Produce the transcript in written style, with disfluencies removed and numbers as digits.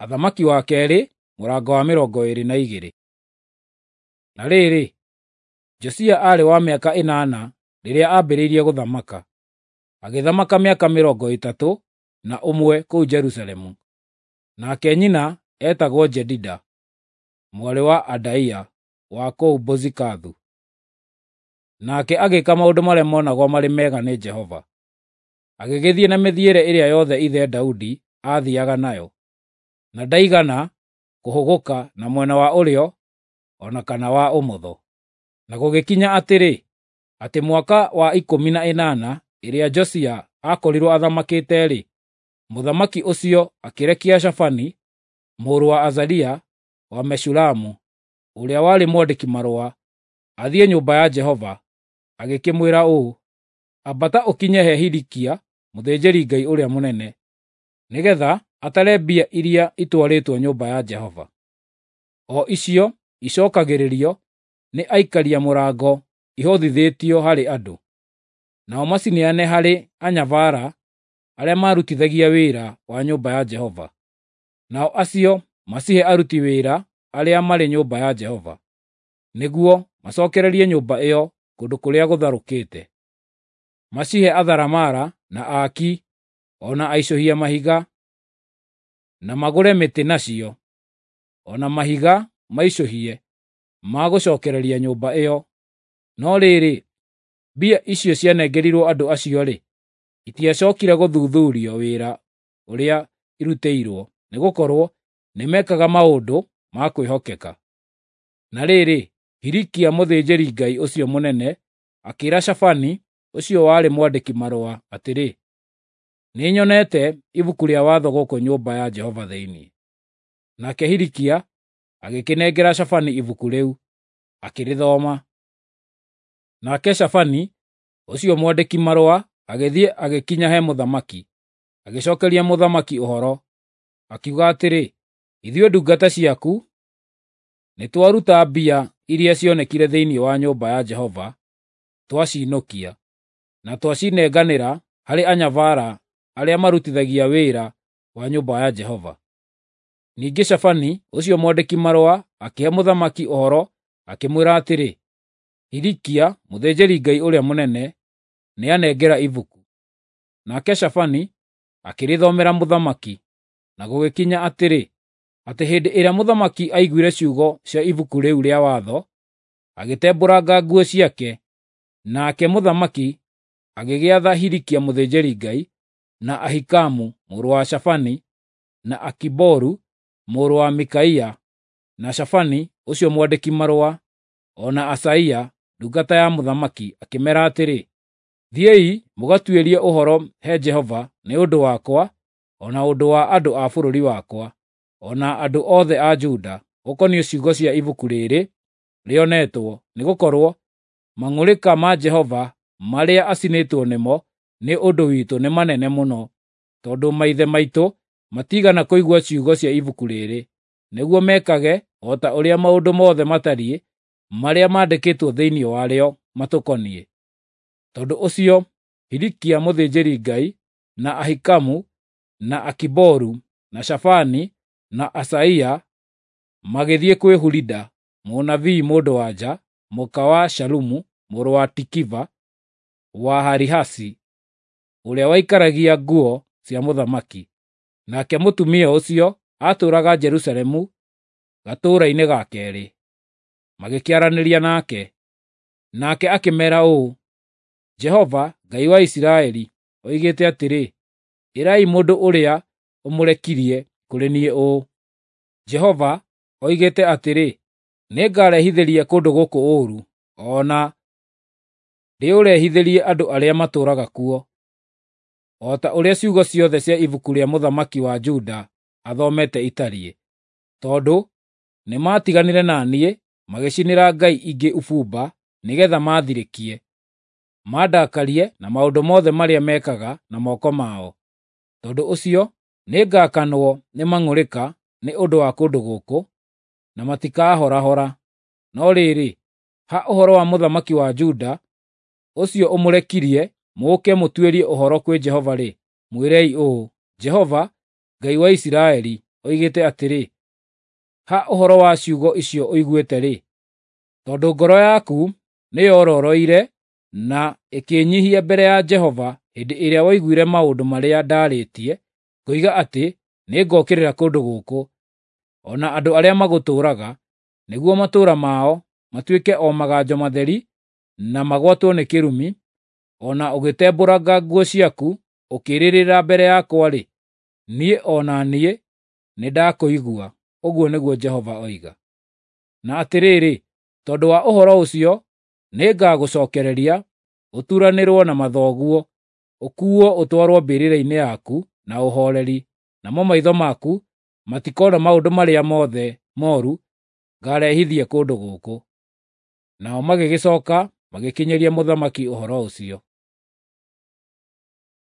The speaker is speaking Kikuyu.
Athamaki wa kerĩ mũrango wa 22. Na rĩrĩ, Josia aarĩ wa mĩaka 8 rĩrĩa aambĩrĩirie gũthamaka, agĩthamaka mĩaka 31 kũu Jerusalemu. Nake nyina eetagwo Jedida, mwarĩ wa Adaia wa kũu Bozikathu. Nake agĩĩka maũndũ marĩa monagwo marĩ mega nĩ Jehova, agĩgĩthiĩ na mĩthiĩre ĩrĩa yothe ithe Daudi aathiiaga nayo, na ndaigana kũhũgũka na mwena wa ũrĩo o na kana wa ũmotho. Na gũgĩkinya atĩrĩ, atĩ mwaka wa 18 ĩrĩa Josia aakorirwo athamakĩte-rĩ, mũthamaki ũcio akĩrekia Shafani mũrũ wa Azalia wa Meshulamu, ũrĩa warĩ mwandĩki-marũa, athiĩ nyũmba ya Jehova, agĩkĩmwĩra ũũ, “Ambata ũkinye he Hilikia mũthĩnjĩri-Ngai ũrĩa mũnene, nĩgeetha atare mbia iria itwarĩtwo nyũmba ya Jehova, o icio icookagĩrĩrio nĩ aikaria mũrango ihothithĩtio harĩ andũ, nao macineane harĩ anyabara arĩa marutithagia wĩra wa nyũmba ya Jehova, nao acio macihe aruti wĩra arĩa marĩ nyũmba ya Jehova, nĩguo macookererie nyũmba ĩyo kũndũ kũrĩa gũtharũkĩte. Macihe atharamara na aaki o na aicũhia mahiga, na magũre mĩtĩ nacio, o na mahiga maicũhie ma gũcookereria nyũmba ĩyo. No rĩrĩ, mbia icio cianengerirwo andũ acio-rĩ, itiacookire gũthuthuurio wĩra ũrĩa irutĩirwo, nĩgũkorwo nĩmekaga maũndũ ma kwĩhokeka.” Na rĩrĩ, Hilikia mũthĩnjĩri-Ngai ũcio mũnene akĩĩra Shafani ũcio warĩ mwandĩki-marũa atĩrĩ, “Nĩnyonete Ibuku rĩa Watho gũkũ nyũmba ya Jehova thĩinĩ.” Nake Hilikia agĩkĩnengera Shafani ibuku rĩu, akĩrĩthoma. Nake Shafani ũcio mwandĩki-marũa agĩthiĩ agĩkinya he mũthamaki, agĩcookeria mũthamaki ũhoro, akiuga atĩrĩ, “Ithuĩ ndungata ciaku nĩtwaruta mbia iria cionekire thĩinĩ wa nyũmba ya Jehova twaciinũkia, na twacinenganĩra harĩ anyabara arĩa marutithagia wĩra wa nyũmba ya Jehova.” Ningĩ Shafani ũcio mwandĩki-marũa akĩhe mũthamaki ũhoro akĩmwĩra atĩrĩ, “Hilikia mũthĩnjĩri-Ngai ũrĩa mũnene nĩanengera ibuku.” Nake Shafani akĩrĩthomera mũthamaki. Na gũgĩkinya atĩrĩ, atĩ hĩndĩ ĩrĩa mũthamaki aiguire ciugo cia ibuku rĩu rĩa watho, agĩtembũranga nguo ciake. Nake mũthamaki agĩgĩatha Hilikia mũthĩnjĩri-Ngai, na Ahikamu mũrũ wa Shafani, na Akiboru mũrũ wa Mikaia, na Shafani ũcio mwandĩki-marũa, o na Asaia ndungata ya mũthamaki, akĩmeera atĩrĩ, “Thiĩi mũgatuĩrie ũhoro he Jehova nĩ ũndũ wakwa o na ũndũ wa andũ a bũrũri wakwa, o na andũ othe a Juda, ũkoniĩ ciugo cia ibuku rĩĩrĩ rĩonetwo, nĩgũkorwo mang'ũrĩka ma Jehova marĩa acinĩtwo nĩmo nĩ ũndũ witũ nĩ manene mũno, tondũ maithe maitũ matiigana kũigua ciugo cia ibuku rĩĩrĩ, nĩguo mekage o ta ũrĩa maũndũ mothe matariĩ marĩa mandĩkĩtwo thĩinĩ warĩo matũkoniĩ.” Tondũ ũcio Hilikia mũthĩnjĩri-Ngai, na Ahikamu, na Akiboru, na Shafani, na Asaia magĩthiĩ kwĩ Hulida mũnabii mũndũ-wa-nja, mũka wa Shalumu mũrũ wa Tikiva wa Harihasi, ũrĩa waikaragia nguo cia mũthamaki. Nake mũtumia ũcio aatũũraga Jerusalemu gatũũra-inĩ ga keerĩ. Magĩkĩaranĩria nake. Nake akĩmeera ũũ, “Jehova, Ngai wa Isiraeli, oigĩte atĩrĩ, ĩrai mũndũ ũrĩa ũmũrekirie kũrĩ niĩ ũũ, ‘Jehova oigĩte atĩrĩ, nĩngarehithĩria kũndũ gũkũ ũũru, o na ndĩũrehithĩrie andũ arĩa matũũraga kuo, o ta ũrĩa ciugo ciothe cia ibuku rĩa mũthamaki wa Juda athomete itariĩ, tondũ nĩmatiganire na niĩ magĩcinĩra ngai ingĩ ũbumba nĩgeetha maathirĩkie, mandakarie na maũndũ mothe marĩa mekaga na moko mao. Tondũ ũcio nĩngakanwo nĩ mang'ũrĩka nĩ ũndũ wa kũndũ gũkũ, na matikahorahora. No rĩrĩ, ha ũhoro wa mũthamaki wa Juda ũcio ũmũrekirie mũũke mũtuĩrie ũhoro kwĩ Jehova-rĩ, mwĩrei ũũ, Jehova, Ngai wa Isiraeli, oigĩte atĩrĩ, Ha ũhoro wa ciugo icio ũiguĩte-rĩ, tondũ ngoro yaku nĩyororoire na ĩkĩĩnyiihia mbere ya Jehova hĩndĩ ĩrĩa waiguire maũndũ marĩa ndaarĩtie, ngoiga atĩ nĩngokĩrĩra kũndũ gũkũ, o na andũ arĩa magũtũũraga, nĩguo matũũra mao matuĩke o maganjo matheri na magwatwo nĩ kĩrumi, o na ũgĩtembũranga nguo ciaku ũkĩrĩrĩra mbere yakwa-rĩ, niĩ o na niĩ nĩndakũigua, ũguo nĩguo Jehova oiga. Na atĩrĩrĩ, tondũ wa ũhoro ũcio nĩngagũcookereria, ũturanĩrwo na mathoguo, ũkuuo ũtwarwo mbĩrĩra-inĩ yaku na ũhooreri, namo maitho maku matikoona maũndũ marĩa mothe mooru ngaarehithie kũndũ gũkũ. Nao magĩgĩcooka magĩkinyĩria mũthamaki ũhoro ũcio.